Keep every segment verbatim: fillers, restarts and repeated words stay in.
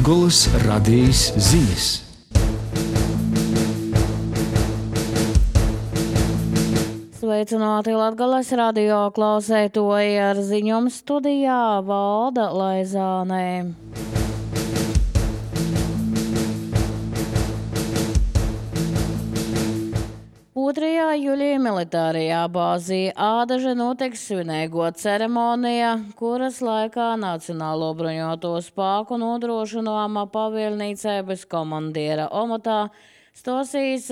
Latgolas radijas ziņas. Sveicināti Latgales radio klausētoji, ar ziņām studijā Valda Laizānē. otrajā jūlijā militārajā bāzī Ādaža notiks svinīgo ceremonija, kuras laikā Nacionālo bruņoto spēku nodrošinājuma pavēlniecības komandiera amatā stosīs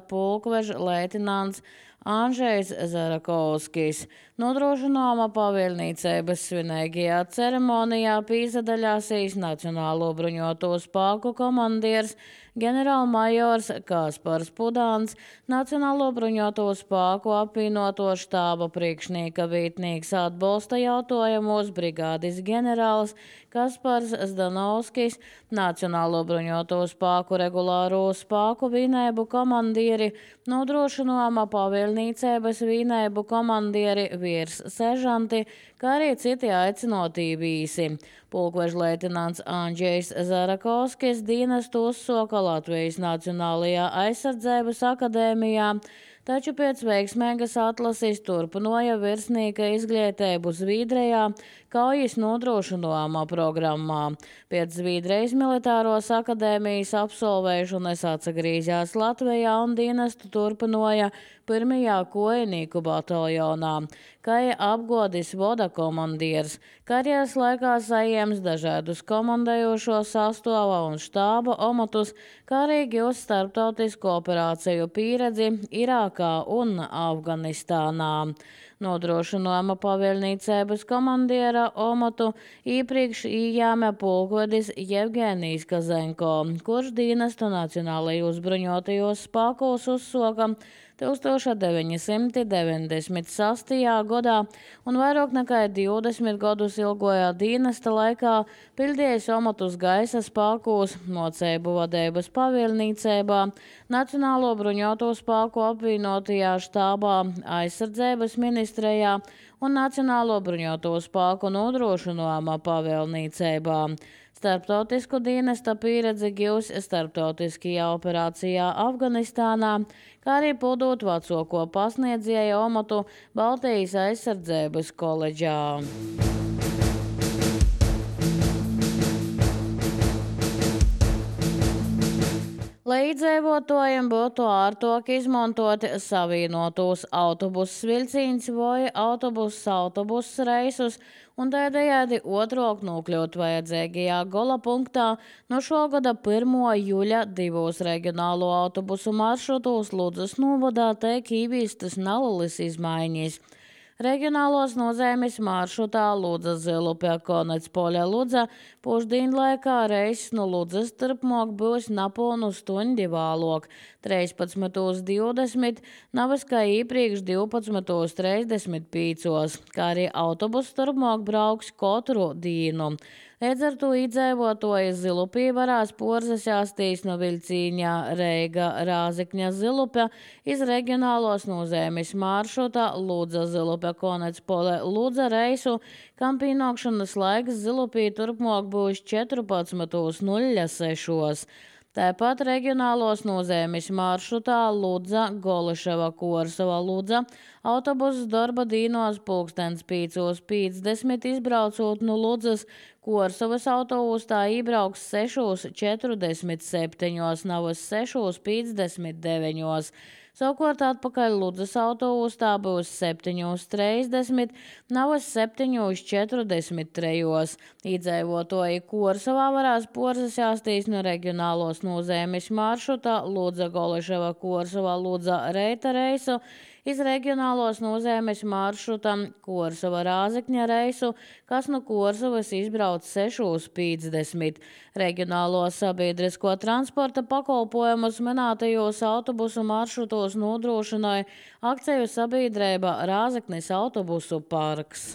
pulkveža leitenants Andžejs Zarakovskis. Nodrošinājuma pavēlniecības svinīgajā ceremonijā pīsadaļāsīs Nacionālo bruņoto spēku komandieris ģenerālmajors Kaspars Pudāns, Nacionālo bruņoto spēku apvienoto štāba priekšnieka vietnieks atbalsta jautājumos brigādes ģenerālis Kaspars Zdanovskis, Nacionālo bruņoto spēku regulāro spēku vienību komandieri, nodrošinājuma pavēlniecības vienību komandieri virs sežanti, kā arī citi aicinotī vīsi. Pulkveža leitenants Andžejs Zarakovskis dienestu uzsoka Latvijas Nacionālajā aizsardzības akadēmijā, taču pēc veiksmīgas atlases turpināja virsnieka izglītību Zviedrijā kaujas nodrošinājuma programmā. Pēc Zviedrijas militāros akadēmijas absolvēšanas atsagrīzās Latvijā un dienestu turpināja pirmajā kojinīku bataljonā, kā apgodis voda komandieris. Karjeras laikā saņēmis dažādus komandējošo sastāva un štāba amatus, kā arī gūst starptautisko operāciju pieredzi Irākā un Afganistānā. Nodrošinājuma pavēlniecības komandiera amatu iepriekš ījāme pulkvedis Jevgenijs Kazenko, kurš dienestu Nacionālajos bruņotajos spēkos uzsoka tūkstoš deviņi simti deviņdesmit sastajā gadā un vairāk nekā divdesmit gadus ilgojā dienesta laikā pildījis amatus gaisa spēkos, mocību vadības pavēlniecībā, Nacionālo bruņoto spēku apvienotajā štābā, aizsardzības ministrijā un Nacionālo bruņoto spēku nodrošinājuma pavēlniecībā. Starptautisku dienesta pieredzi gūs starptautiskajā operācijā Afganistānā, kā arī pildot vecāko pasniedzēja amatu Baltijas aizsardzības koledžā. Lai iedzīvotājiem būtu ārtāk izmantot savienotos autobusu vilcienus vai autobusu autobusu reisus un tādējādi otrāk nokļūt vajadzīgajā gola punktā, no šogada pirmā jūļa divos reģionālo autobusu maršrutos Ludzas novadā tiek ieviestas nelielas izmaiņas. Reģionālos nozīmes maršrutā Ludza Zilupja Konecpoļa Ludza pušdienu laikā reiss no Ludzas turpmāk būs napilnu stundi vēlāk trīspadsmit divdesmit, nevis kā iepriekš divpadsmit trīsdesmit piecos, kā arī autobus turpmāk brauks katru dienu. Līdz ar to iedzīvotāji Zilupī varēs porzašāstīs no vilcīņā Reiga Rāzekņa Zilupja iz reģionālos nozīmes maršruta Ludza Zilupja Konecpoļa Ludza reisu, kam pienākšanas laiks Zilupī turpmāk būs četrpadsmit nulle seši. Tāpat reģionālos nozīmes maršrutā Ludza Goliševa Korsava Ludza autobusus darba dīnos pulkstens piecos piecdesmit izbraucot no Ludzas, Korsavas autobustā iebrauks sešos četrdesmit septiņos, nevis sešos piecdesmit deviņos. Savukārt atpakaļ Ludzas autobustā būs septiņos trīsdesmit, nevis septiņos četrdesmit trejos. Iedzīvotāji Korsavā varēs porzašāstīs no reģionālos nozīmes maršruta Ludza Goliševa Korsava Ludza Reita reisu, iz reģionālos nozīmes maršrutam Korsava Rāzekņa reisu, kas no Korsavas izbrauc sešos piecdesmit. Reģionālo sabiedrisko transporta pakalpojumus minētajos autobusu maršrutos nodrošināja akciju sabiedrība Rāzeknes autobusu parks.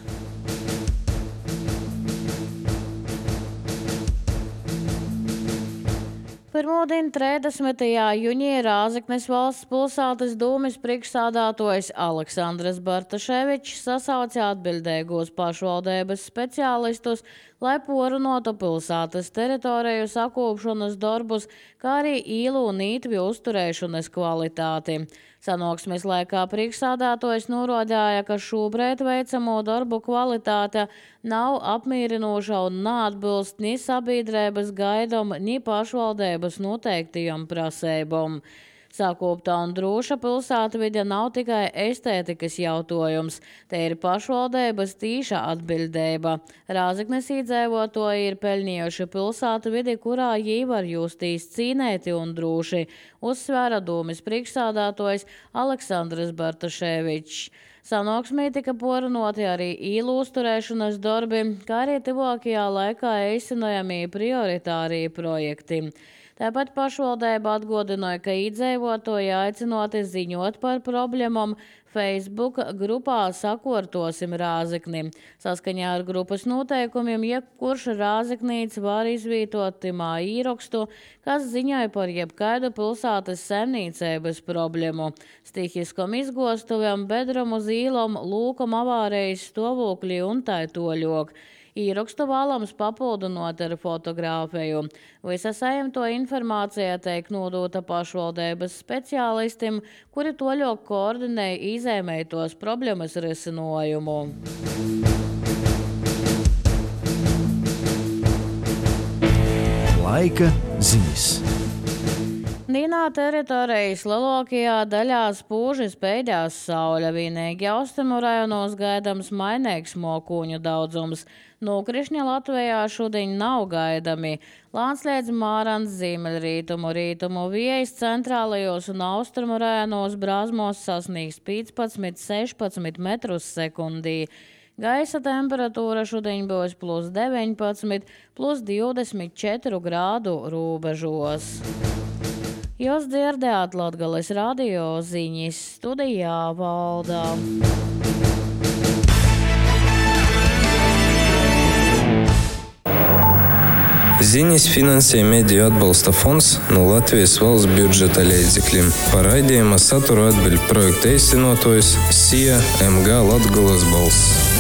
Pīmūdien trīsdesmitajā jūnijā Rāzeknes valsts pilsētas dūmis priekšsādātojs Aleksandrs Bartaševičs sasauca atbildīgos pašvaldības speciālistus, lai porunotu pilsētas teritoriju sakūpšanas darbus, kā arī īlu un ītvi uzturēšanas kvalitāti. Sanoksmes laikā priekšsādātojs norādīja, ka šobrīd veicamo darbu kvalitāte nav apmierinoša un neatbilst ni sabiedrības gaidām, ni pašvaldības noteiktajām prasībām. Sakopta un droša pilsētvide nav tikai estētikas jautājums, te ir pašvaldības tīša atbildība. Rāzeknes iedzīvotāji ir pelnījuši pilsētvidi, kurā jī var justīs cīnēti un droši, uzsvēra dūmis priekšsādātojs Aleksandrs Bartaševičs. Sanoksmē tika porunoti arī īlu uzturēšanas darbi, kā arī tuvākajā laikā īstenojamie prioritārie projekti. Tāpat pašvaldība atgādināja, ka iedzīvotāji aicinoti ziņot par problēmām Facebook grupā Sakortosim Rāzekni. Saskaņā ar grupas noteikumiem, jebkurš rāzeknīts var izvietot timā īrakstu, kas ziņoja par jebkaidu pilsētas saimniecības problēmu, stihiskom izgostuvēm, bedrumu zīlom, lūkom avārijas stāvoklī un tai toļok. Īrakstu vēlams papildinot ar fotogrāfiju. Visa saimto informācija tiek nodota pašvaldības speciālistiem, kuri toļok koordinē izēmētos problēmas risinājumu. Laika ziņas. Dīnā teritorijas lielākajā daļā spūži spēļās saule, vienīgi austrumu rajonos gaidams mainīgs mokuņu daudzums. Nokrišņi Latvijā šodien nav gaidami. Lānsliedz Mārans ziemeļrītumu rītumu viejas centrālajos un austrumu rajonos Brāzmos sasniegs piecpadsmit sešpadsmit metrus sekundī. Gaisa temperatūra šodien būs plus deviņpadsmit, plus divdesmit četri grādu robežos. Jūs dzirdējāt Latgales radio ziņas, studijā Valdā. Ziņas finansē Mediju atbalsta fonds no Latvijas valsts budžeta līdzekļiem. Par raidījuma saturu atbild projekta īstenotājs S I A M G Latgales balss.